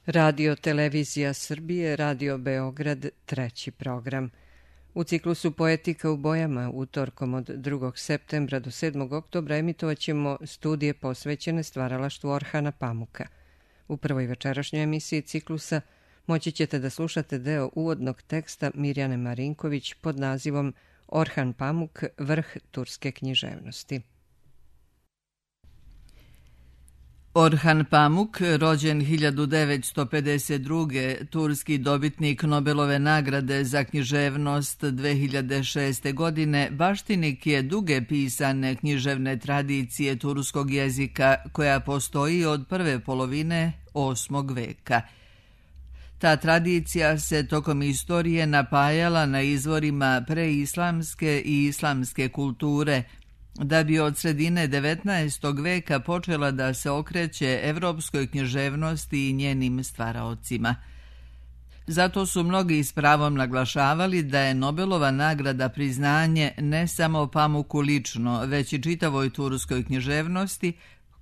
Radio Televizija Srbije, Radio Beograd, treći program. U ciklusu Poetika u bojama utorkom od 2. septembra do 7. oktobra emitovaćemo studije posvećene stvaralaštvu Orhana Pamuka. U prvoj večerašnjoj emisiji ciklusa moći ćete da slušate deo uvodnog teksta Mirjane Marinković pod nazivom Orhan Pamuk, vrh turske književnosti. Orhan Pamuk, rođen 1952. turski dobitnik Nobelove nagrade za književnost 2006. godine, baštinik je duge pisane književne tradicije turskog jezika koja postoji od prve polovine 8. veka. Ta tradicija se tokom istorije napajala na izvorima preislamske i islamske kulture, da bi od sredine 19. veka počela da se okreće evropskoj književnosti i njenim stvaraocima. Zato su mnogi s pravom naglašavali da je Nobelova nagrada priznanje ne samo Pamuku lično, već i čitavoj turskoj književnosti,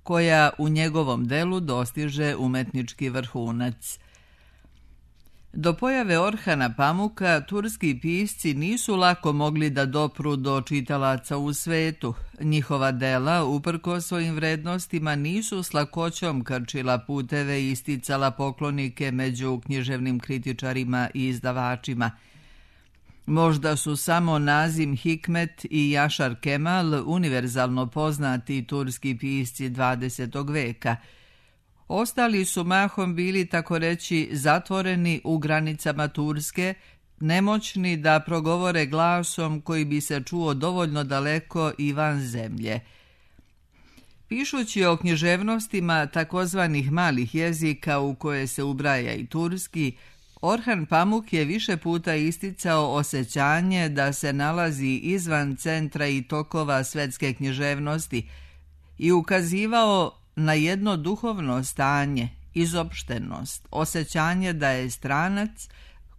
koja u njegovom delu dostiže umetnički vrhunac. Do pojave Orhana Pamuka turski pisci nisu lako mogli da dopru do čitalaca u svetu. Njihova dela, uprkos svojim vrednostima, nisu s lakoćom krčila puteve i isticala poklonike među književnim kritičarima i izdavačima. Možda su samo Nazim Hikmet i Yaşar Kemal univerzalno poznati turski pisci 20. veka. Ostali su mahom bili, tako reći, zatvoreni u granicama Turske, nemoćni da progovore glasom koji bi se čuo dovoljno daleko i van zemlje. Pišući o književnostima takozvanih malih jezika u koje se ubraja i turski, Orhan Pamuk je više puta isticao osjećanje da se nalazi izvan centra i tokova svetske književnosti i ukazivao na jedno duhovno stanje, izopštenost, osjećanje da je stranac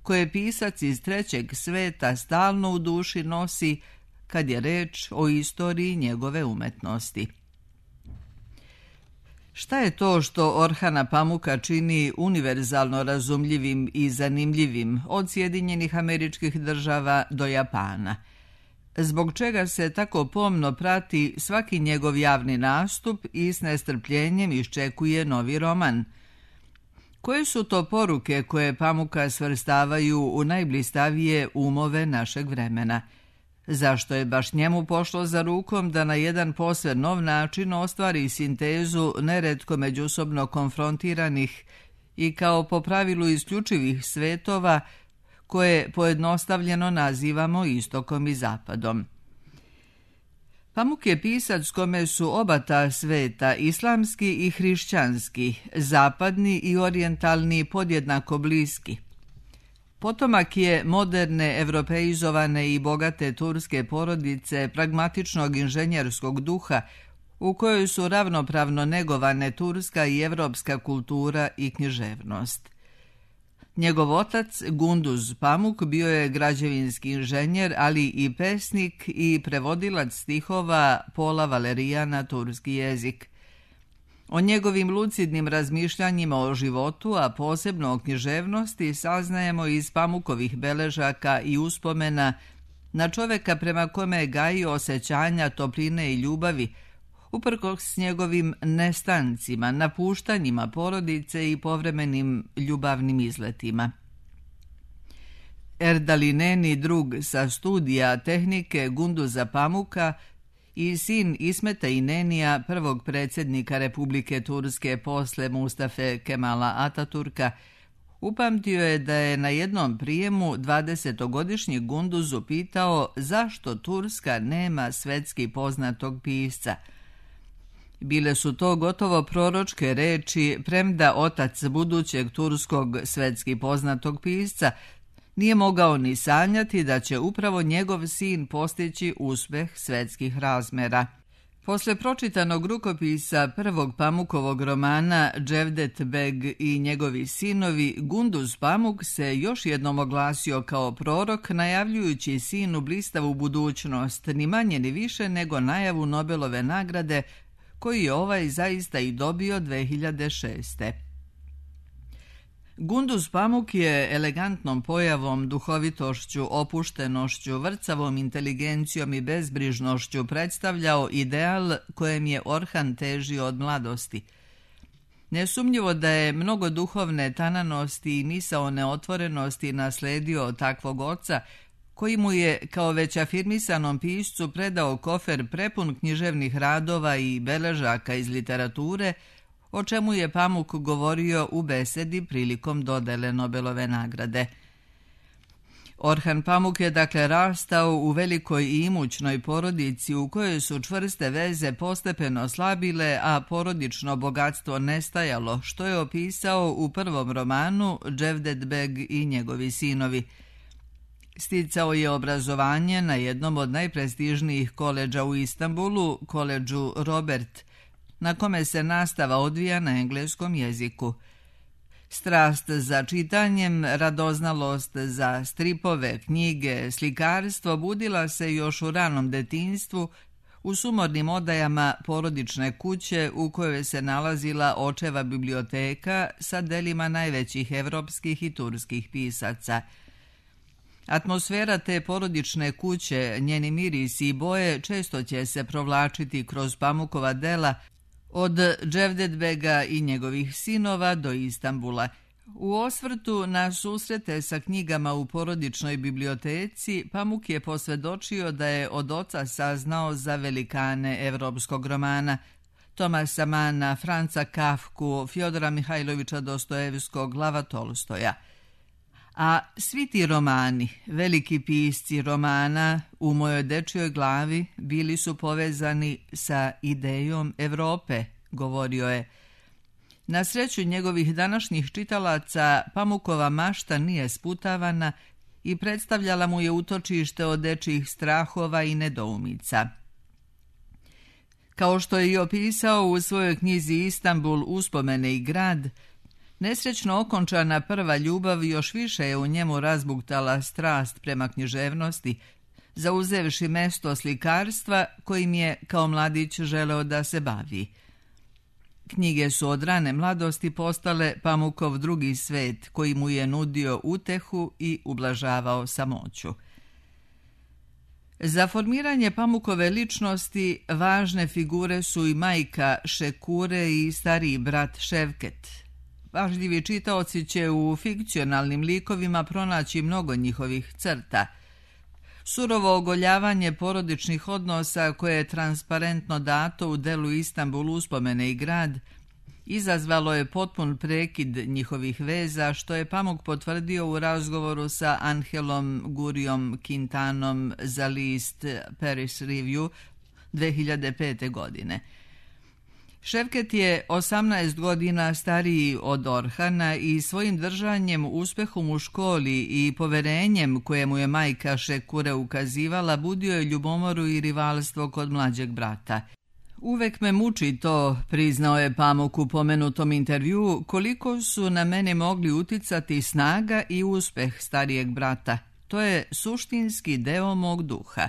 koje pisac iz trećeg sveta stalno u duši nosi kad je reč o istoriji njegove umetnosti. Šta je to što Orhana Pamuka čini univerzalno razumljivim i zanimljivim od Sjedinjenih Američkih Država do Japana? Zbog čega se tako pomno prati svaki njegov javni nastup i s nestrpljenjem iščekuje novi roman? Koje su to poruke koje Pamuka svrstavaju u najblistavije umove našeg vremena? Zašto je baš njemu pošlo za rukom da na jedan posve nov način ostvari sintezu neretko međusobno konfrontiranih i kao po pravilu isključivih svetova koje pojednostavljeno nazivamo istokom i zapadom? Pamuk je pisac kome su oba ta sveta, islamski i hrišćanski, zapadni i orijentalni, podjednako bliski. Potomak je moderne, evropeizovane i bogate turske porodice pragmatičnog inženjerskog duha u kojoj su ravnopravno negovane turska i evropska kultura i književnost. Njegov otac, Gunduz Pamuk, bio je građevinski inženjer, ali i pesnik i prevodilac stihova Pola Valerija na turski jezik. O njegovim lucidnim razmišljanjima o životu, a posebno o književnosti, saznajemo iz Pamukovih beležaka i uspomena na čoveka prema kome je gajio osjećanja topline i ljubavi, uprkos njegovim nestancima, napuštanjima porodice i povremenim ljubavnim izletima. Erdalineni drug sa studija tehnike Gunduza Pamuka i sin Ismeta Inenija, prvog predsjednika Republike Turske posle Mustafe Kemala Ataturka, upamtio je da je na jednom prijemu 20-godišnji Gunduzu pitao zašto Turska nema svetski poznatog pisca. Bile su to gotovo proročke reči, premda otac budućeg turskog svetski poznatog pisca nije mogao ni sanjati da će upravo njegov sin postići uspeh svetskih razmera. Posle pročitanog rukopisa prvog Pamukovog romana Cevdet Beg i njegovi sinovi, Gunduz Pamuk se još jednom oglasio kao prorok, najavljujući sinu blistavu budućnost, ni manje ni više nego najavu Nobelove nagrade, koju je ovaj zaista i dobio 2006. Gunduz Pamuk je elegantnom pojavom, duhovitošću, opuštenošću, vrcavom inteligencijom i bezbrižnošću predstavljao ideal kojem je Orhan težio od mladosti. Nesumnjivo da je mnogo duhovne tananosti i misaone otvorenosti nasledio od takvog oca, koji mu je kao već afirmisanom piscu predao kofer prepun književnih radova i beležaka iz literature, o čemu je Pamuk govorio u besedi prilikom dodele Nobelove nagrade. Orhan Pamuk je dakle rastao u velikoj i imućnoj porodici u kojoj su čvrste veze postepeno slabile, a porodično bogatstvo nestajalo, što je opisao u prvom romanu Cevdet Beg i njegovi sinovi. Sticao je obrazovanje na jednom od najprestižnijih koledža u Istanbulu, koledžu Robert, na kome se nastava odvija na engleskom jeziku. Strast za čitanjem, radoznalost za stripove, knjige, slikarstvo budila se još u ranom detinjstvu u sumornim odajama porodične kuće u kojoj se nalazila očeva biblioteka sa delima najvećih evropskih i turskih pisaca. Atmosfera te porodične kuće, njeni mirisi i boje često će se provlačiti kroz Pamukova dela, od Cevdetbega i njegovih sinova do Istanbula. U osvrtu na susrete sa knjigama u porodičnoj biblioteci, Pamuk je posvedočio da je od oca saznao za velikane evropskog romana, Tomasa Mana, Franca Kafku, Fjodora Mihajlovića Dostojevskog, Lava Tolstoja. A svi ti romani, veliki pisci romana, u mojoj dečjoj glavi bili su povezani sa idejom Evrope, govorio je. Na sreću njegovih današnjih čitalaca, Pamukova mašta nije sputavana i predstavljala mu je utočište od dečjih strahova i nedoumica. Kao što je i opisao u svojoj knjizi Istanbul, uspomene i grad, nesrećno okončana prva ljubav još više je u njemu razbuktala strast prema književnosti, zauzevši mesto slikarstva kojim je kao mladić želeo da se bavi. Knjige su od rane mladosti postale Pamukov drugi svet, koji mu je nudio utehu i ublažavao samoću. Za formiranje Pamukove ličnosti važne figure su i majka Šekure i stariji brat Ševket. Pažljivi čitaoci će u fikcionalnim likovima pronaći mnogo njihovih crta. Surovo ogoljavanje porodičnih odnosa koje je transparentno dato u delu Istanbul, uspomene i grad, izazvalo je potpun prekid njihovih veza, što je Pamuk potvrdio u razgovoru sa Angelom Gurijom Quintanom za list Paris Review 2005. godine. Ševket je 18 godina stariji od Orhana i svojim držanjem, uspehom u školi i poverenjem koje mu je majka Šekure ukazivala budio je ljubomoru i rivalstvo kod mlađeg brata. Uvek me muči to, priznao je Pamuk u pomenutom intervjuu, koliko su na mene mogli uticati snaga i uspeh starijeg brata. To je suštinski deo mog duha.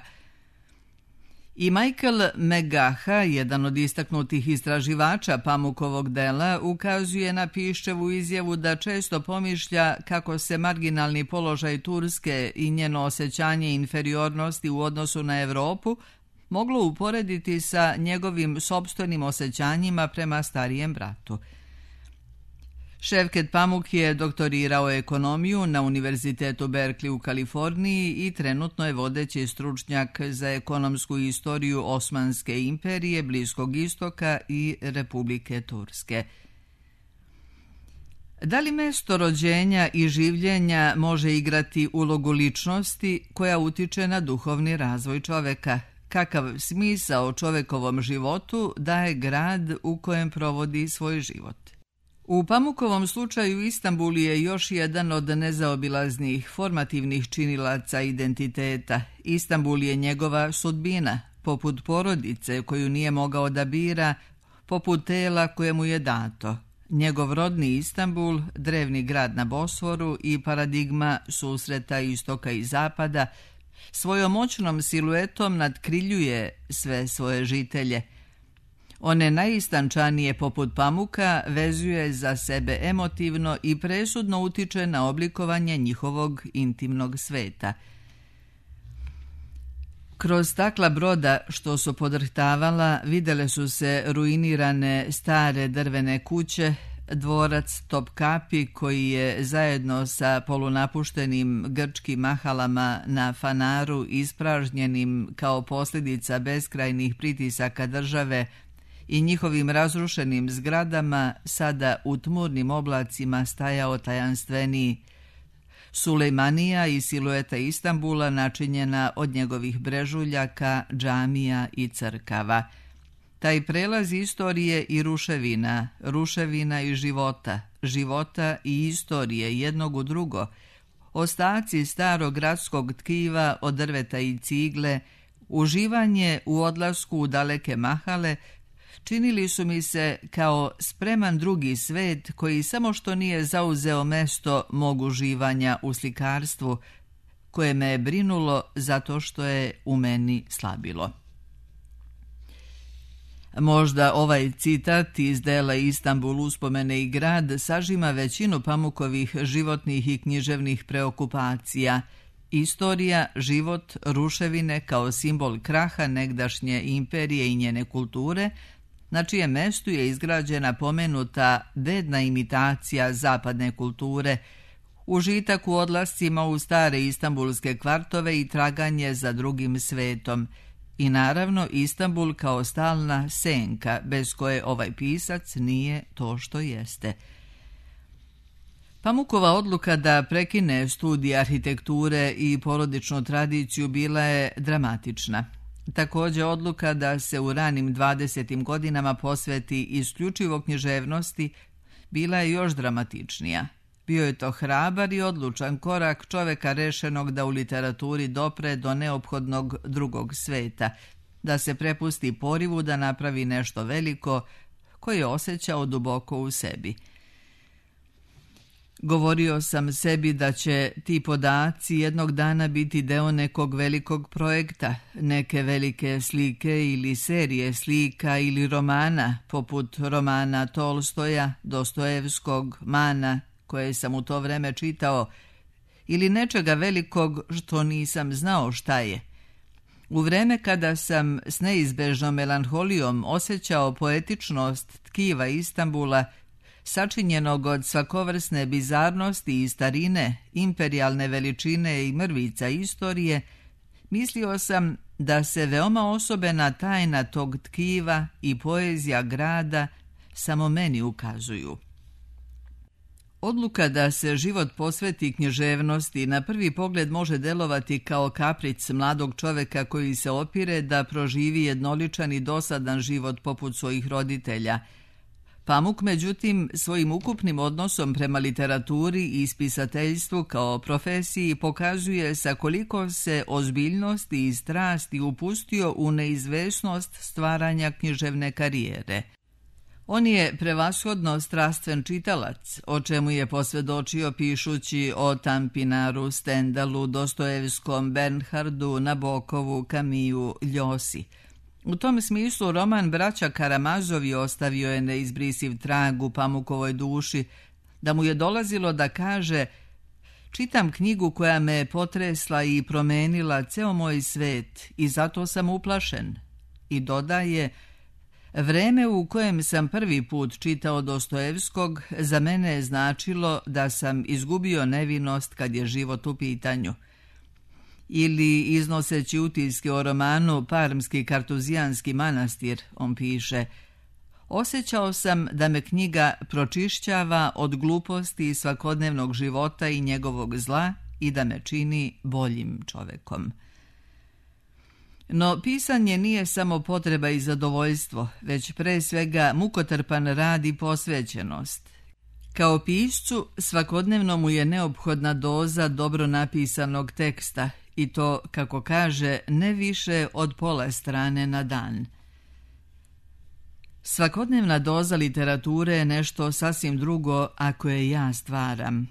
I Michael Megaha, jedan od istaknutih istraživača Pamukovog dela, ukazuje na Piščevu izjavu da često pomišlja kako se marginalni položaj Turske i njeno osjećanje inferiornosti u odnosu na Evropu moglo uporediti sa njegovim sopstvenim osjećanjima prema starijem bratu. Ševket Pamuk je doktorirao ekonomiju na Univerzitetu Berkeley u Kaliforniji i trenutno je vodeći stručnjak za ekonomsku istoriju Osmanske imperije, Bliskog istoka i Republike Turske. Da li mesto rođenja i življenja može igrati ulogu ličnosti koja utiče na duhovni razvoj čoveka? Kakav smisao čovekovom životu daje grad u kojem provodi svoj život? U Pamukovom slučaju Istanbul je još jedan od nezaobilaznih formativnih činilaca identiteta. Istanbul je njegova sudbina, poput porodice koju nije mogao da bira, poput tela koje mu je dato. Njegov rodni Istanbul, drevni grad na Bosforu i paradigma susreta istoka i zapada, svojom moćnom siluetom nadkriljuje sve svoje žitelje. One najistančanije poput Pamuka vezuje za sebe emotivno i presudno utiče na oblikovanje njihovog intimnog sveta. Kroz stakla broda što su podrhtavala vidjele su se ruinirane stare drvene kuće, dvorac Topkapi koji je zajedno sa polunapuštenim grčkim mahalama na Fanaru ispražnjenim kao posljedica beskrajnih pritisaka države i njihovim razrušenim zgradama sada u tmurnim oblacima stajao tajanstveniji. Sulejmanija i silueta Istanbula načinjena od njegovih brežuljaka, džamija i crkava. Taj prelaz istorije i ruševina, ruševina i života, života i istorije jednog u drugo, ostaci starog gradskog tkiva od drveta i cigle, uživanje u odlasku u daleke mahale, činili su mi se kao spreman drugi svet koji samo što nije zauzeo mesto mog uživanja u slikarstvu, koje me je brinulo zato što je u meni slabilo. Možda ovaj citat iz dela Istanbul uspomene i grad sažima većinu Pamukovih životnih i književnih preokupacija. Istorija, život, ruševine kao simbol kraha negdašnje imperije i njene kulture, na čijem mestu je izgrađena pomenuta bedna imitacija zapadne kulture, užitak u odlascima u stare istambulske kvartove i traganje za drugim svetom. I naravno Istanbul kao stalna senka bez koje ovaj pisac nije to što jeste. Pamukova odluka da prekine studij arhitekture i porodičnu tradiciju bila je dramatična. Također odluka da se u ranim 20. godinama posveti isključivo književnosti bila je još dramatičnija. Bio je to hrabar i odlučan korak čoveka rešenog da u literaturi dopre do neophodnog drugog sveta, da se prepusti porivu da napravi nešto veliko koje je osjećao duboko u sebi. Govorio sam sebi da će ti podaci jednog dana biti deo nekog velikog projekta, neke velike slike ili serije slika ili romana, poput romana Tolstoja, Dostojevskog, Mana, koje sam u to vreme čitao, ili nečega velikog što nisam znao šta je. U vreme kada sam s neizbežnom melanholijom osjećao poetičnost tkiva Istanbula, sačinjenog od svakovrsne bizarnosti i starine, imperijalne veličine i mrvica istorije, mislio sam da se veoma osobena tajna tog tkiva i poezija grada samo meni ukazuju. Odluka da se život posveti književnosti na prvi pogled može delovati kao kapric mladog čoveka koji se opire da proživi jednoličan i dosadan život poput svojih roditelja. Pamuk, međutim, svojim ukupnim odnosom prema literaturi i spisateljstvu kao profesiji pokazuje sa koliko se ozbiljnosti i strasti upustio u neizvesnost stvaranja književne karijere. On je prevashodno strastven čitalac, o čemu je posvjedočio pišući o Tampinaru, Stendalu, Dostojevskom, Bernhardu, Nabokovu, Kamiju, Ljosi. U tom smislu roman Braća Karamazovi ostavio je neizbrisiv trag u Pamukovoj duši, da mu je dolazilo da kaže: čitam knjigu koja me je potresla i promenila ceo moj svet i zato sam uplašen. I dodaje: vreme u kojem sam prvi put čitao Dostojevskog za mene je značilo da sam izgubio nevinost kad je život u pitanju. Ili iznoseći utiske o romanu Parmski kartuzijanski manastir, on piše: osjećao sam da me knjiga pročišćava od gluposti i svakodnevnog života i njegovog zla i da me čini boljim čovekom. No pisanje nije samo potreba i zadovoljstvo, već pre svega mukotrpan rad i posvećenost. Kao piscu svakodnevno mu je neophodna doza dobro napisanog teksta i to, kako kaže, ne više od pola strane na dan. Svakodnevna doza literature je nešto sasvim drugo ako je ja stvaram.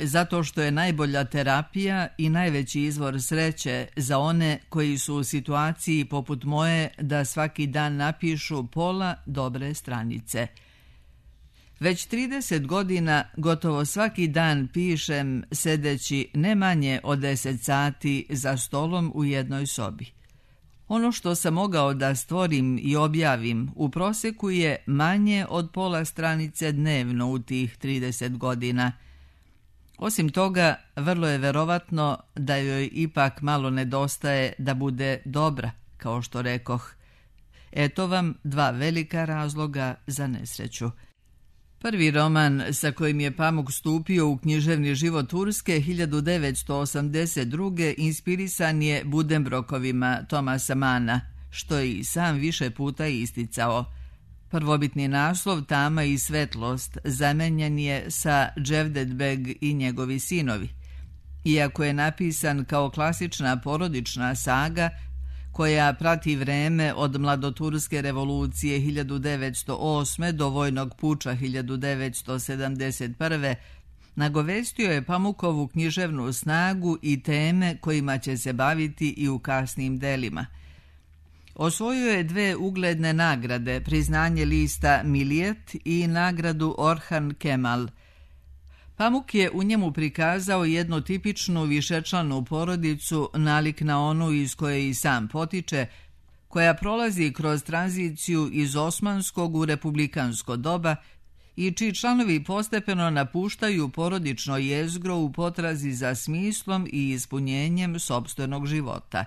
zato što je najbolja terapija i najveći izvor sreće za one koji su u situaciji poput moje da svaki dan napišu pola dobre stranice. Već 30 godina gotovo svaki dan pišem sedeći ne manje od 10 sati za stolom u jednoj sobi. Ono što sam mogao da stvorim i objavim u proseku je manje od pola stranice dnevno u tih 30 godina. Osim toga, vrlo je verovatno da joj ipak malo nedostaje da bude dobra, kao što rekoh. Eto vam dva velika razloga za nesreću. Prvi roman sa kojim je Pamuk stupio u književni život Turske 1982. inspirisan je Buddenbrookovima Thomasa Manna, što je i sam više puta isticao. Prvobitni naslov Tama i svetlost zamenjen je sa Cevdet Beg i njegovi sinovi. Iako je napisan kao klasična porodična saga koja prati vreme od mladoturske revolucije 1908. do vojnog puča 1971. nagovestio je Pamukovu književnu snagu i teme kojima će se baviti i u kasnim delima. Osvojio je 2 ugledne nagrade, priznanje lista Milijet i nagradu Orhan Kemal. Pamuk je u njemu prikazao jednu tipičnu višečlanu porodicu nalik na onu iz koje i sam potiče, koja prolazi kroz tranziciju iz osmanskog u republikansko doba i čiji članovi postepeno napuštaju porodično jezgro u potrazi za smislom i ispunjenjem sopstvenog života.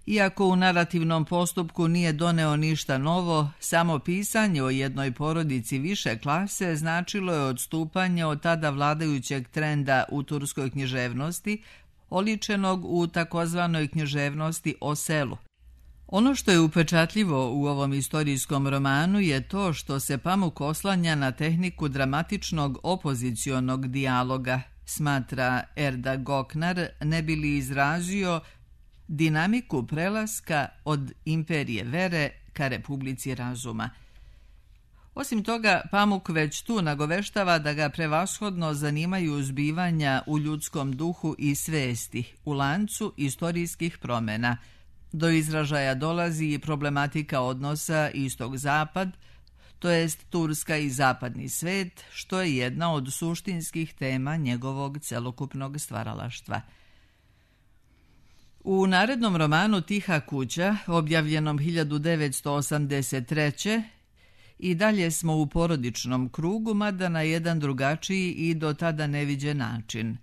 Iako u narativnom postupku nije doneo ništa novo, samo pisanje o jednoj porodici više klase značilo je odstupanje od tada vladajućeg trenda u turskoj književnosti, oličenog u takozvanoj književnosti o selu. Ono što je upečatljivo u ovom istorijskom romanu je to što se Pamuk oslanja na tehniku dramatičnog opozicionog dijaloga, smatra Erda Goknar, ne bi li izrazio dinamiku prelaska od imperije vere ka republici razuma. Osim toga, Pamuk već tu nagoveštava da ga prevashodno zanimaju zbivanja u ljudskom duhu i svesti, u lancu istorijskih promjena. Do izražaja dolazi i problematika odnosa istok-zapad, to jest Turska i zapadni svet, što je jedna od suštinskih tema njegovog celokupnog stvaralaštva. U narednom romanu Tiha kuća, objavljenom 1983. i dalje smo u porodičnom krugu, mada na jedan drugačiji i do tada neviđen način.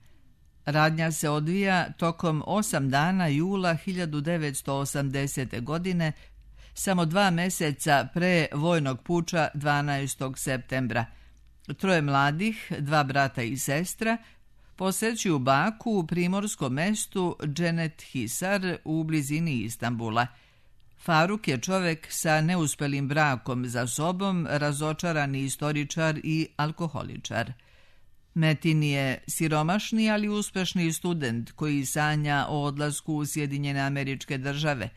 Radnja se odvija tokom 8 dana jula 1980. godine, samo 2 meseca pre vojnog puča 12. septembra. 3 mladih, 2 brata i sestra, posećuju baku u primorskom mestu Cennet Hisar u blizini Istanbula. Faruk je čovek sa neuspelim brakom za sobom, razočarani istoričar i alkoholičar. Metin je siromašni, ali uspešni student koji sanja o odlasku u Sjedinjene Američke Države,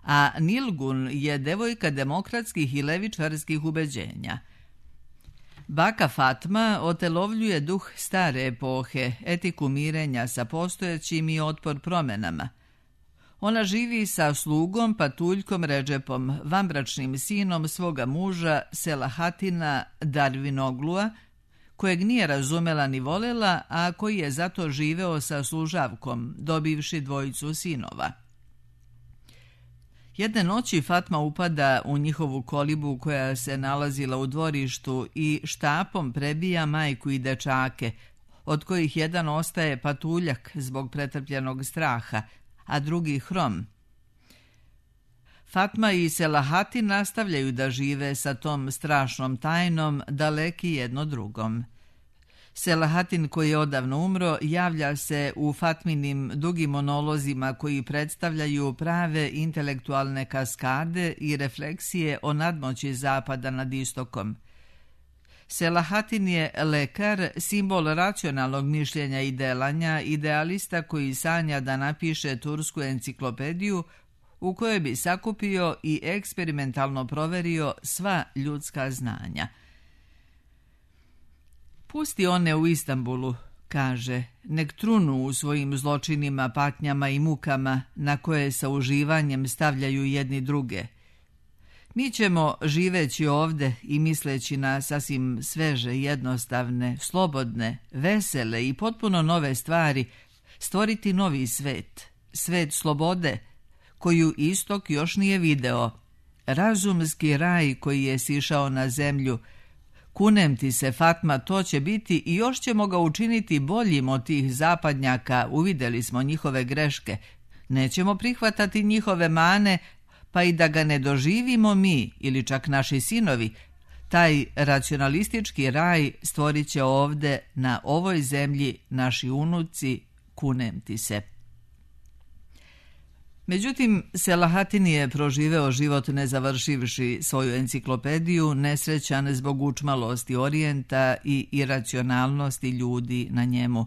a Nilgun je devojka demokratskih i levičarskih ubeđenja. Baka Fatma otelovljuje duh stare epohe, etiku mirenja sa postojećim i otpor promenama. Ona živi sa slugom Patuljkom Redžepom, vanbračnim sinom svoga muža Selahatina Darvinoglua, kojeg nije razumela ni volela, a koji je zato živeo sa služavkom, dobivši 2 sinova. Jedne noći Fatma upada u njihovu kolibu koja se nalazila u dvorištu i štapom prebija majku i dečake, od kojih jedan ostaje patuljak zbog pretrpljenog straha, a drugi hrom. Fatma i Selahatin nastavljaju da žive sa tom strašnom tajnom, daleki jedno drugom. Selahatin, koji je odavno umro, javlja se u Fatminim dugim monolozima koji predstavljaju prave intelektualne kaskade i refleksije o nadmoći zapada nad istokom. Selahatin je lekar, simbol racionalnog mišljenja i delanja, idealista koji sanja da napiše tursku enciklopediju u kojoj bi sakupio i eksperimentalno proverio sva ljudska znanja. Pusti one u Istanbulu, kaže, nek trunu u svojim zločinima, patnjama i mukama na koje sa uživanjem stavljaju jedni druge. Mi ćemo, živeći ovde i misleći na sasvim sveže, jednostavne, slobodne, vesele i potpuno nove stvari, stvoriti novi svet, svet slobode, koju istok još nije video, razumski raj koji je sišao na zemlju. Kunem ti se, Fatma, to će biti i još ćemo ga učiniti boljim od tih zapadnjaka, uvideli smo njihove greške. Nećemo prihvatati njihove mane, pa i da ga ne doživimo mi ili čak naši sinovi. Taj racionalistički raj stvorit će ovde, na ovoj zemlji, naši unuci, kunem ti se. Međutim, Selahatin je proživeo život ne završivši svoju enciklopediju, nesrećan zbog učmalosti orijenta i iracionalnosti ljudi na njemu.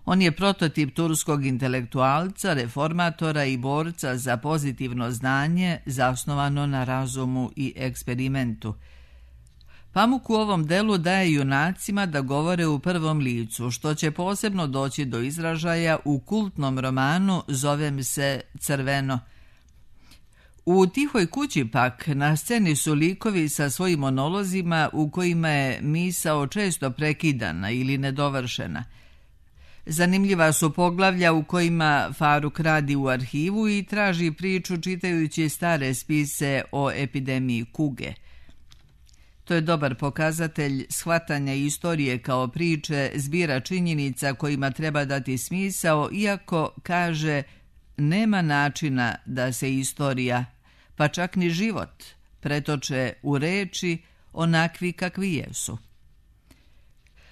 On je prototip turskog intelektualca, reformatora i borca za pozitivno znanje zasnovano na razumu i eksperimentu. Pamuk u ovom delu daje junacima da govore u prvom licu, što će posebno doći do izražaja u kultnom romanu Zovem se Crveno. U Tihoj kući pak na sceni su likovi sa svojim monolozima u kojima je misao često prekidana ili nedovršena. Zanimljiva su poglavlja u kojima Faruk radi u arhivu i traži priču čitajući stare spise o epidemiji kuge. To je dobar pokazatelj shvatanja istorije kao priče, zbira činjenica kojima treba dati smisao, iako, kaže, nema načina da se istorija, pa čak ni život, pretoče u reči onakvi kakvi jesu.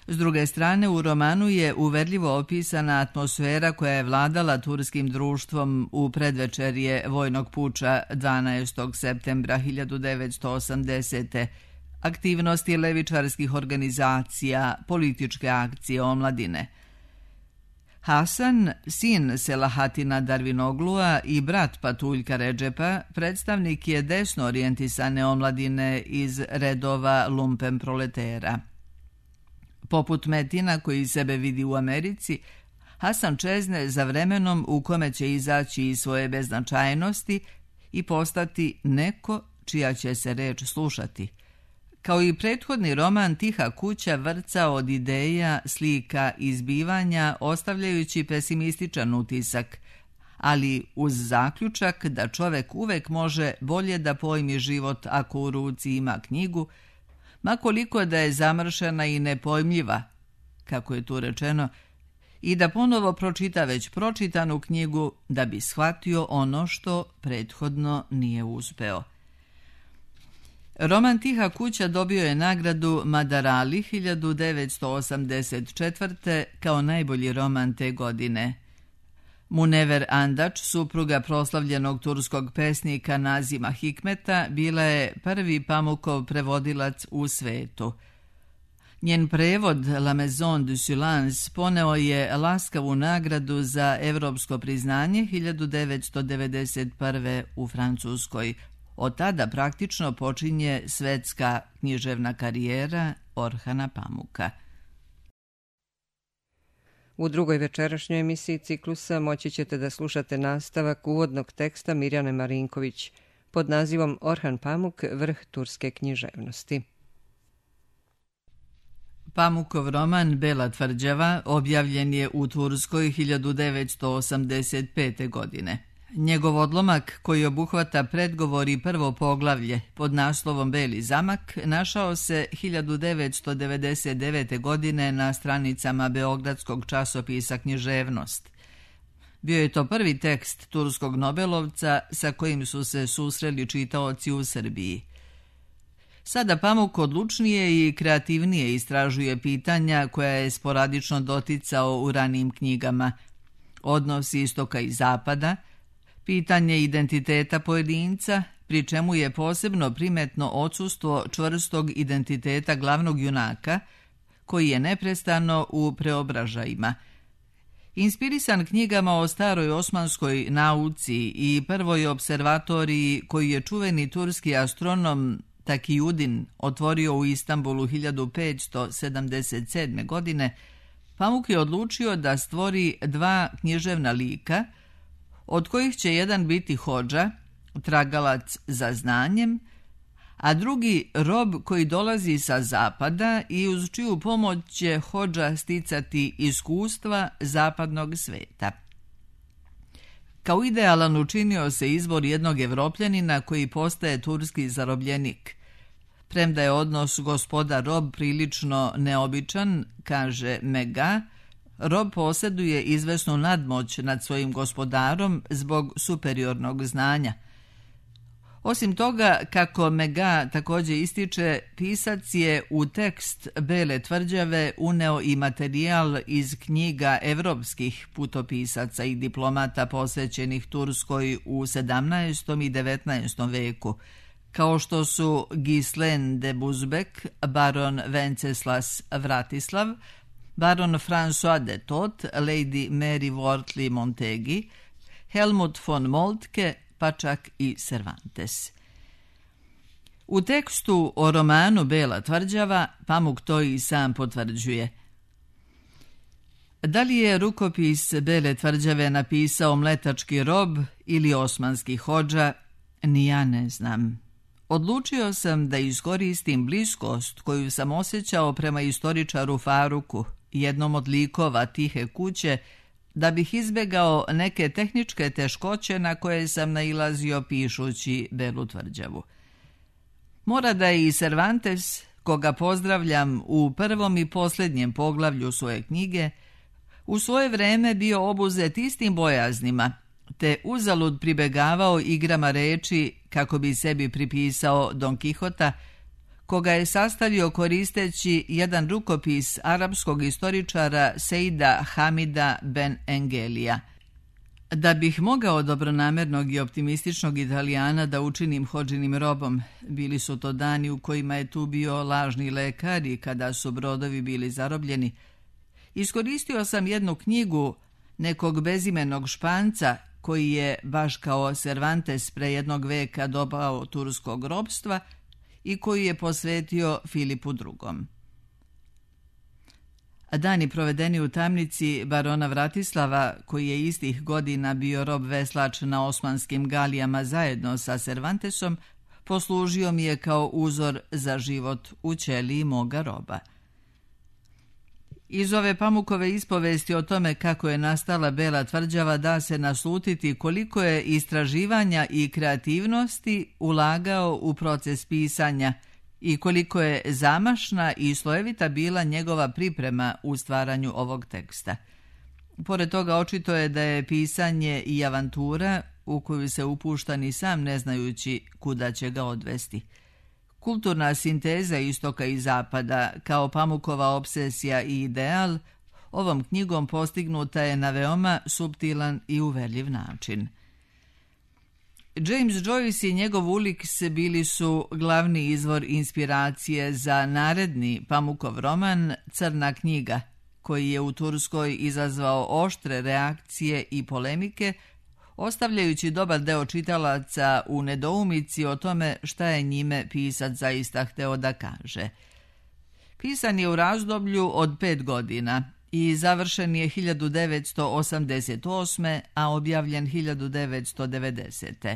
S druge strane, u romanu je uverljivo opisana atmosfera koja je vladala turskim društvom u predvečerje vojnog puča 12. septembra 1980. Aktivnosti levičarskih organizacija, političke akcije omladine. Hasan, sin Selahatina Darvinoglua i brat Patuljka Redžepa, predstavnik je desno orijentisane omladine iz redova lumpen proletera. Poput Metina, koji sebe vidi u Americi, Hasan čezne za vremenom u kome će izaći iz svoje beznačajnosti i postati neko čija će se reč slušati. Kao i prethodni roman, Tiha kuća vrca od ideja, slika i zbivanja, ostavljajući pesimističan utisak, ali uz zaključak da čovek uvek može bolje da pojmi život ako u ruci ima knjigu, ma koliko da je zamršena i nepojmljiva, kako je tu rečeno, i da ponovo pročita već pročitanu knjigu da bi shvatio ono što prethodno nije uspeo. Roman Tiha kuća dobio je nagradu Madarali 1984. kao najbolji roman te godine. Munever Andač, supruga proslavljenog turskog pesnika Nazima Hikmeta, bila je prvi Pamukov prevodilac u svetu. Njen prevod La Maison du Silence poneo je laskavu nagradu za evropsko priznanje 1991. u Francuskoj. Od tada praktično počinje svetska književna karijera Orhana Pamuka. U drugoj večerašnjoj emisiji ciklusa moći ćete da slušate nastavak uvodnog teksta Mirjane Marinković pod nazivom Orhan Pamuk, vrh turske književnosti. Pamukov roman Bela tvrđava objavljen je u Turskoj 1985. godine. Njegov odlomak, koji obuhvata predgovor i prvo poglavlje pod naslovom Beli zamak, našao se 1999. godine na stranicama beogradskog časopisa Književnost. Bio je to prvi tekst turskog nobelovca sa kojim su se susreli čitaoci u Srbiji. Sada Pamuk odlučnije i kreativnije istražuje pitanja koja je sporadično doticao u ranijim knjigama. Odnos istoka i zapada, pitanje identiteta pojedinca, pri čemu je posebno primetno odsustvo čvrstog identiteta glavnog junaka, koji je neprestano u preobražajima. Inspirisan knjigama o staroj osmanskoj nauci i prvoj observatoriji koju je čuveni turski astronom Takijudin otvorio u Istanbulu 1577. godine, Pamuk je odlučio da stvori dva književna lika, od kojih će jedan biti hodža, tragalac za znanjem, a drugi rob koji dolazi sa zapada i uz čiju pomoć će hodža sticati iskustva zapadnog sveta. Kao idealan učinio se izbor jednog Evropljanina koji postaje turski zarobljenik. Premda je odnos gospodar-rob prilično neobičan, kaže Mega, rob posjeduje izvesnu nadmoć nad svojim gospodarom zbog superiornog znanja. Osim toga, kako Mega također ističe, pisac je u tekst Bele tvrđave uneo i materijal iz knjiga evropskih putopisaca i diplomata posvećenih Turskoj u 17. i 19. veku, kao što su Ghislain de Busbecq, baron Venceslas Vratislav, baron François de Thot, lady Mary Wortley Montegi, Helmut von Moltke, pa čak i Cervantes. U tekstu o romanu Bela tvrđava Pamuk to i sam potvrđuje. Da li je rukopis Bele tvrđave napisao mletački rob ili osmanski hodža, ni ja ne znam. Odlučio sam da iskoristim bliskost koju sam osjećao prema istoričaru Faruku, jednom od likova Tihe kuće, da bih izbjegao neke tehničke teškoće na koje sam nailazio pišući Belu tvrđavu. Mora da je i Cervantes, koga pozdravljam u prvom i posljednjem poglavlju svoje knjige, u svoje vreme bio obuzet istim bojaznima, te uzalud pribegavao igrama reči kako bi sebi pripisao Don Kihota, koga je sastavio koristeći jedan rukopis arapskog istoričara Seida Hamida Ben Engelija. Da bih mogao dobronamernog i optimističnog Italijana da učinim hodžinim robom, bili su to dani u kojima je tu bio lažni lekar i kada su brodovi bili zarobljeni, iskoristio sam jednu knjigu nekog bezimenog Španca koji je, baš kao Cervantes pre jednog veka dobao turskog robstva i koji je posvetio Filipu II. Dani provedeni u tamnici barona Vratislava, koji je istih godina bio rob veslač na osmanskim galijama zajedno sa Cervantesom, poslužio mi je kao uzor za život u ćeliji moga roba. Iz ove Pamukove ispovesti o tome kako je nastala Bela tvrđava da se naslutiti koliko je istraživanja i kreativnosti ulagao u proces pisanja i koliko je zamašna i slojevita bila njegova priprema u stvaranju ovog teksta. Pored toga očito je da je pisanje i avantura u koju se upušta ni sam ne znajući kuda će ga odvesti. Kulturna sinteza istoka i zapada, kao Pamukova obsesija i ideal, ovom knjigom postignuta je na veoma suptilan i uverljiv način. James Joyce i njegov Ulix bili su glavni izvor inspiracije za naredni Pamukov roman Crna knjiga, koji je u Turskoj izazvao oštre reakcije i polemike, ostavljajući dobar deo čitalaca u nedoumici o tome šta je njime pisac zaista hteo da kaže. Pisan je u razdoblju od 5 godina i završen je 1988. a objavljen 1990.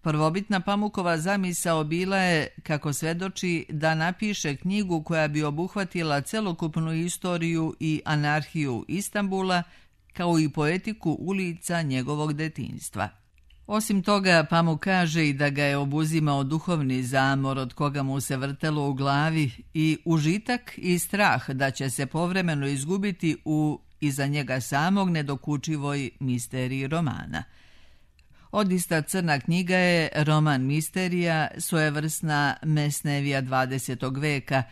Prvobitna Pamukova zamisao bila je, kako svedoči, da napiše knjigu koja bi obuhvatila celokupnu istoriju i anarhiju Istanbula, kao i poetiku ulica njegovog detinjstva. Osim toga, Pamuk kaže i da ga je obuzimao duhovni zamor od koga mu se vrtelo u glavi i užitak i strah da će se povremeno izgubiti u iza njega samog nedokučivoj misteriji romana. Odista Crna knjiga je roman misterija, svojevrsna Mesnevija 20. veka,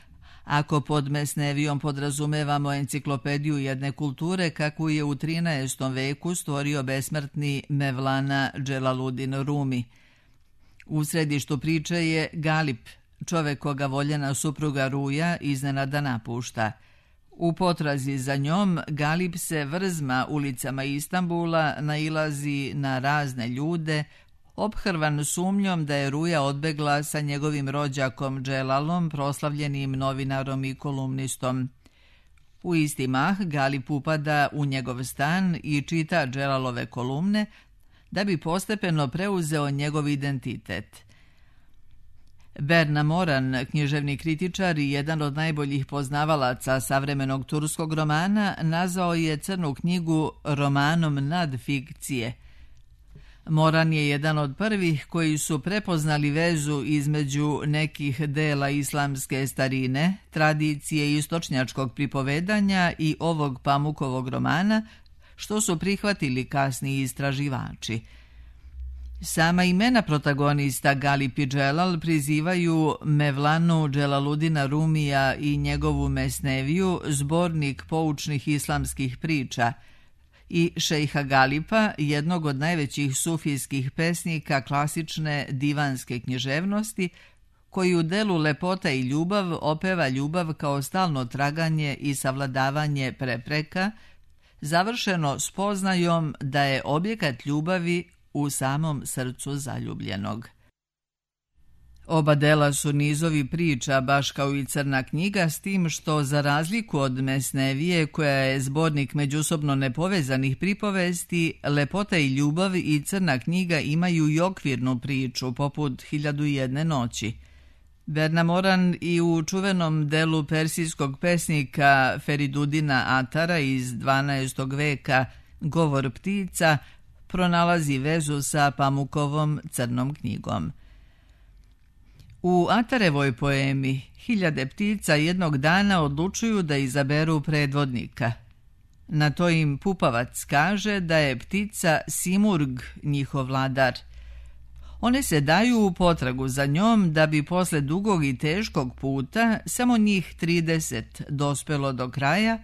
ako pod Mesnevijom podrazumevamo enciklopediju jedne kulture kakvu je u 13. veku stvorio besmrtni Mevlana Dželaludin Rumi. U središtu priče je Galip, čovek koga voljena supruga Ruja iznenada napušta. U potrazi za njom Galip se vrzma ulicama Istanbula, nailazi na razne ljude, ophrvan sumnjom da je Ruja odbegla sa njegovim rođakom Dželalom, proslavljenim novinarom i kolumnistom. U isti mah Galip upada u njegov stan i čita Dželalove kolumne da bi postepeno preuzeo njegov identitet. Berna Moran, književni kritičar i jedan od najboljih poznavalaca savremenog turskog romana, nazvao je Crnu knjigu romanom nadfikcije. Moran je jedan od prvih koji su prepoznali vezu između nekih dela islamske starine, tradicije istočnjačkog pripovedanja i ovog Pamukovog romana, što su prihvatili kasniji istraživači. Sama imena protagonista Galip i Dželal prizivaju Mevlanu Dželaludina Rumija i njegovu Mesneviju, zbornik poučnih islamskih priča, i šejha Galipa, jednog od najvećih sufijskih pesnika klasične divanske književnosti, koji u delu Lepota i ljubav opeva ljubav kao stalno traganje i savladavanje prepreka, završeno spoznajom da je objekat ljubavi u samom srcu zaljubljenog. Oba dela su nizovi priča, baš kao i Crna knjiga, s tim što, za razliku od Mesnevije, koja je zbornik međusobno nepovezanih pripovesti, Lepota i ljubav i Crna knjiga imaju i okvirnu priču, poput 1001 noći. Berna Moran i u čuvenom delu persijskog pesnika Feridudina Atara iz 12. veka Govor ptica pronalazi vezu sa Pamukovom Crnom knjigom. U Atarevoj poemi 1000 ptica jednog dana odlučuju da izaberu predvodnika. Na to im Pupavac kaže da je ptica Simurg njihov vladar. One se daju u potragu za njom da bi posle dugog i teškog puta samo njih 30 dospelo do kraja,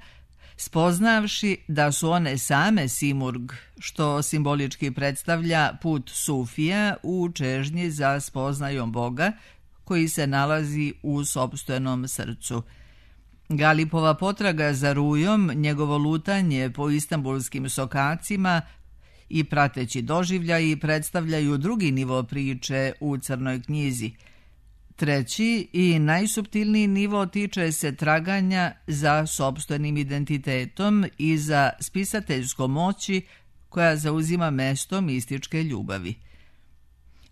spoznavši da su one same Simurg, što simbolički predstavlja put Sufija u čežnji za spoznajom Boga, koji se nalazi u sopstvenom srcu. Galipova potraga za Rujom, njegovo lutanje po istambulskim sokacima i prateći doživljaji predstavljaju drugi nivo priče u Crnoj knjizi. Treći i najsuptilniji nivo tiče se traganja za sopstvenim identitetom i za spisateljskom moći koja zauzima mesto mističke ljubavi.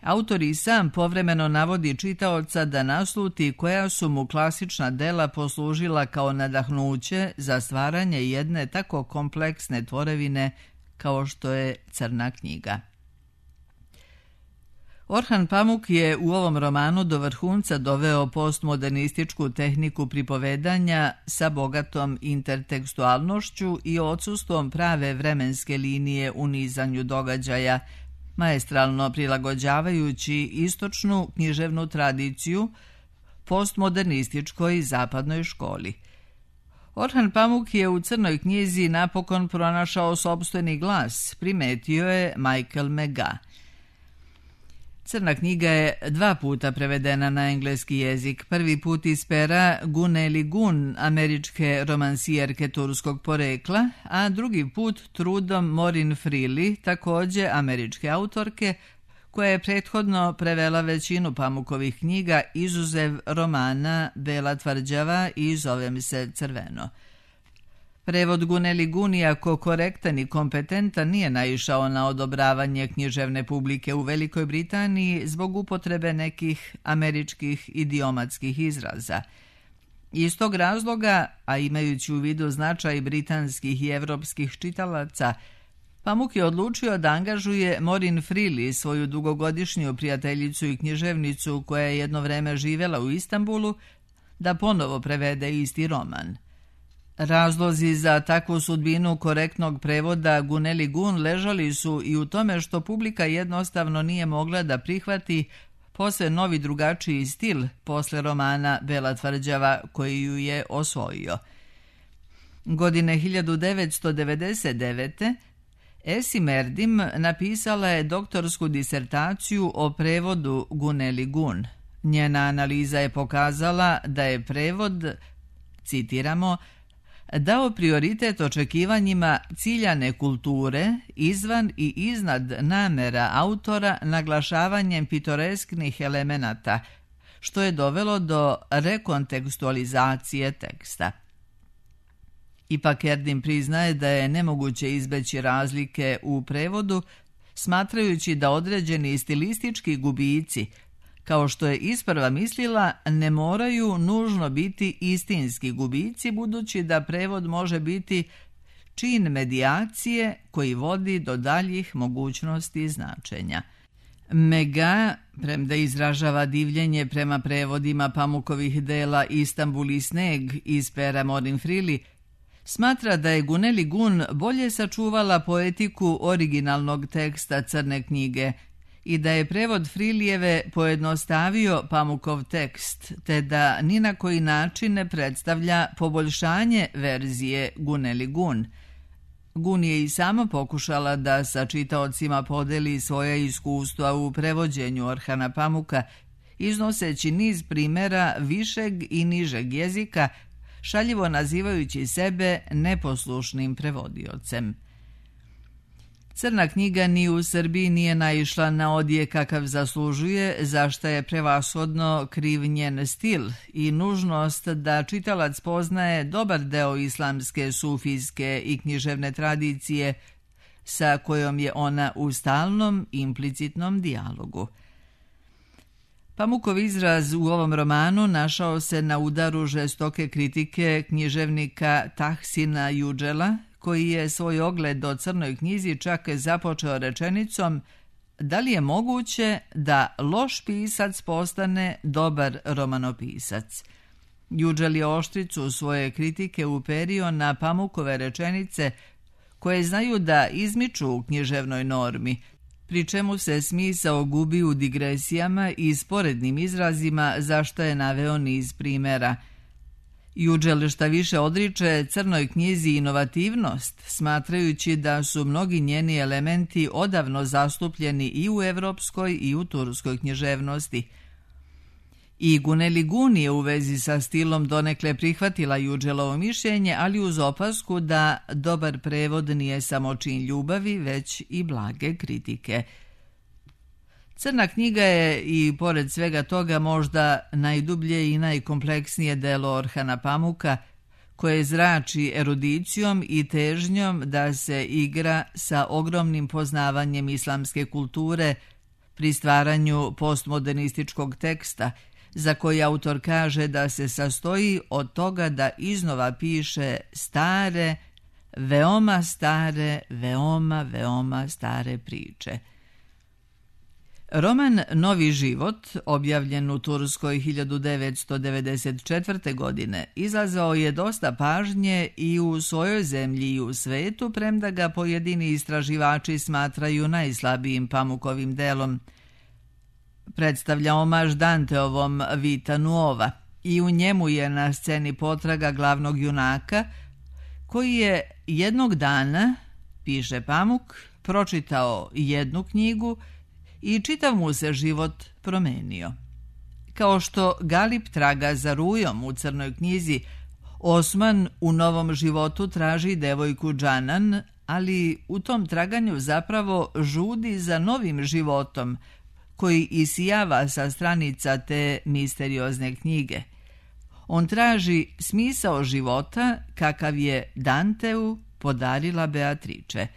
Autor i sam povremeno navodi čitaoca da nasluti koja su mu klasična dela poslužila kao nadahnuće za stvaranje jedne tako kompleksne tvorevine kao što je Crna knjiga. Orhan Pamuk je u ovom romanu do vrhunca doveo postmodernističku tehniku pripovedanja sa bogatom intertekstualnošću i odsustvom prave vremenske linije u nizanju događaja, maestralno prilagođavajući istočnu književnu tradiciju postmodernističkoj zapadnoj školi. Orhan Pamuk je u Crnoj knjizi napokon pronašao sopstveni glas, primetio je Michael Mega. Crna knjiga je 2 puta prevedena na engleski jezik, prvi put iz pera Guneli Gun, američke romansijerke turskog porekla, a drugi put trudom Morin Freely, također američke autorke, koja je prethodno prevela većinu Pamukovih knjiga izuzev romana Bela tvrđava i Zovem se crveno. Prevod Guneli Gun, iako korektan i kompetentan, nije naišao na odobravanje književne publike u Velikoj Britaniji zbog upotrebe nekih američkih idiomatskih izraza. Iz tog razloga, a imajući u vidu značaj britanskih i evropskih čitalaca, Pamuk je odlučio da angažuje Morin Freely, svoju dugogodišnju prijateljicu i književnicu koja je jedno vreme živjela u Istanbulu, da ponovo prevede isti roman. Razlozi za takvu sudbinu korektnog prevoda Guneli Gun ležali su i u tome što publika jednostavno nije mogla da prihvati posve novi drugačiji stil posle romana Bela tvrđava koji ju je osvojio. Godine 1999. Esim Erdim napisala je doktorsku disertaciju o prevodu Guneli Gun. Njena analiza je pokazala da je prevod, citiramo, dao prioritet očekivanjima ciljane kulture izvan i iznad namera autora naglašavanjem pitoresknih elemenata, što je dovelo do rekontekstualizacije teksta. Ipak Erdin priznaje da je nemoguće izbeći razlike u prevodu, smatrajući da određeni stilistički gubici, kao što je isprva mislila, ne moraju nužno biti istinski gubici, budući da prevod može biti čin medijacije koji vodi do daljih mogućnosti značenja. Mega, premda izražava divljenje prema prevodima Pamukovih dela Istanbul i sneg iz pera Morin Frili, smatra da je Guneli Gun bolje sačuvala poetiku originalnog teksta Crne knjige i da je prevod Frilijeve pojednostavio Pamukov tekst, te da ni na koji način ne predstavlja poboljšanje verzije Guneli Gun. Gun je i sama pokušala da sa čitaocima podeli svoja iskustva u prevođenju Orhana Pamuka, iznoseći niz primjera višeg i nižeg jezika, šaljivo nazivajući sebe neposlušnim prevodiocem. Crna knjiga ni u Srbiji nije naišla na odjek kakav zaslužuje, za što je prevashodno kriv njen stil i nužnost da čitalac poznaje dobar deo islamske, sufijske i književne tradicije sa kojom je ona u stalnom implicitnom dijalogu. Pamukov izraz u ovom romanu našao se na udaru žestoke kritike književnika Tahsina Juđela, koji je svoj ogled o Crnoj knjizi čak započeo rečenicom: da li je moguće da loš pisac postane dobar romanopisac? Juđel je oštricu svoje kritike uperio na Pamukove rečenice koje znaju da izmiču u književnoj normi, pri čemu se smisao gubi u digresijama i sporednim izrazima, za što je naveo niz primjera. Juđel šta više odriče Crnoj knjizi inovativnost, smatrajući da su mnogi njeni elementi odavno zastupljeni i u evropskoj i u turskoj književnosti. I Guneli Gun je u vezi sa stilom donekle prihvatila Juđelovo mišljenje, ali uz opasku da dobar prevod nije samo čin ljubavi, već i blage kritike. Crna knjiga je i pored svega toga možda najdublje i najkompleksnije delo Orhana Pamuka, koje zrači erudicijom i težnjom da se igra sa ogromnim poznavanjem islamske kulture pri stvaranju postmodernističkog teksta, za koji autor kaže da se sastoji od toga da iznova piše stare, veoma stare priče. Roman Novi život, objavljen u Turskoj 1994. godine, izazvao je dosta pažnje i u svojoj zemlji i u svetu, premda ga pojedini istraživači smatraju najslabijim Pamukovim delom. Predstavlja omaž Danteovom Vita Nuova i u njemu je na sceni potraga glavnog junaka, koji je jednog dana, piše Pamuk, pročitao jednu knjigu i čitav mu se život promenio. Kao što Galip traga za rujom u Crnoj knjizi, Osman u Novom životu traži devojku Džanan, ali u tom traganju zapravo žudi za novim životom, koji isijava sa stranica te misteriozne knjige. On traži smisao života kakav je Danteu podarila Beatrice.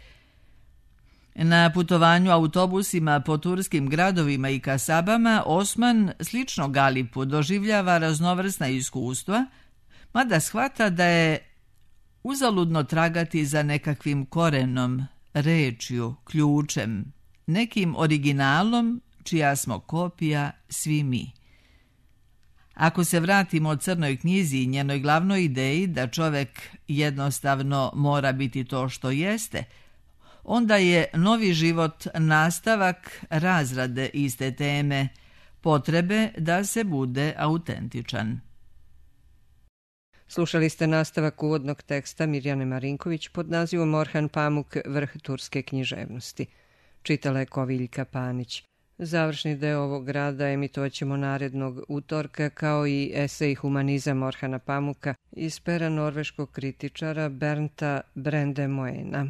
Na putovanju autobusima po turskim gradovima i kasabama Osman, slično Galipu, doživljava raznovrsna iskustva, mada shvata da je uzaludno tragati za nekakvim korenom, rečju, ključem, nekim originalom čija smo kopija svi mi. Ako se vratimo Crnoj knjizi i njenoj glavnoj ideji da čovjek jednostavno mora biti to što jeste, onda je Novi život nastavak razrade iste teme, potrebe da se bude autentičan. Slušali ste nastavak uvodnog teksta Mirjane Marinković pod nazivom Orhan Pamuk, vrh turske književnosti. Čitala je Koviljka Panić. Završni deo ovog rada emitovat ćemo narednog utorka, kao i esej Humanizam Orhana Pamuka iz pera norveškog kritičara Bernta Brandemoena.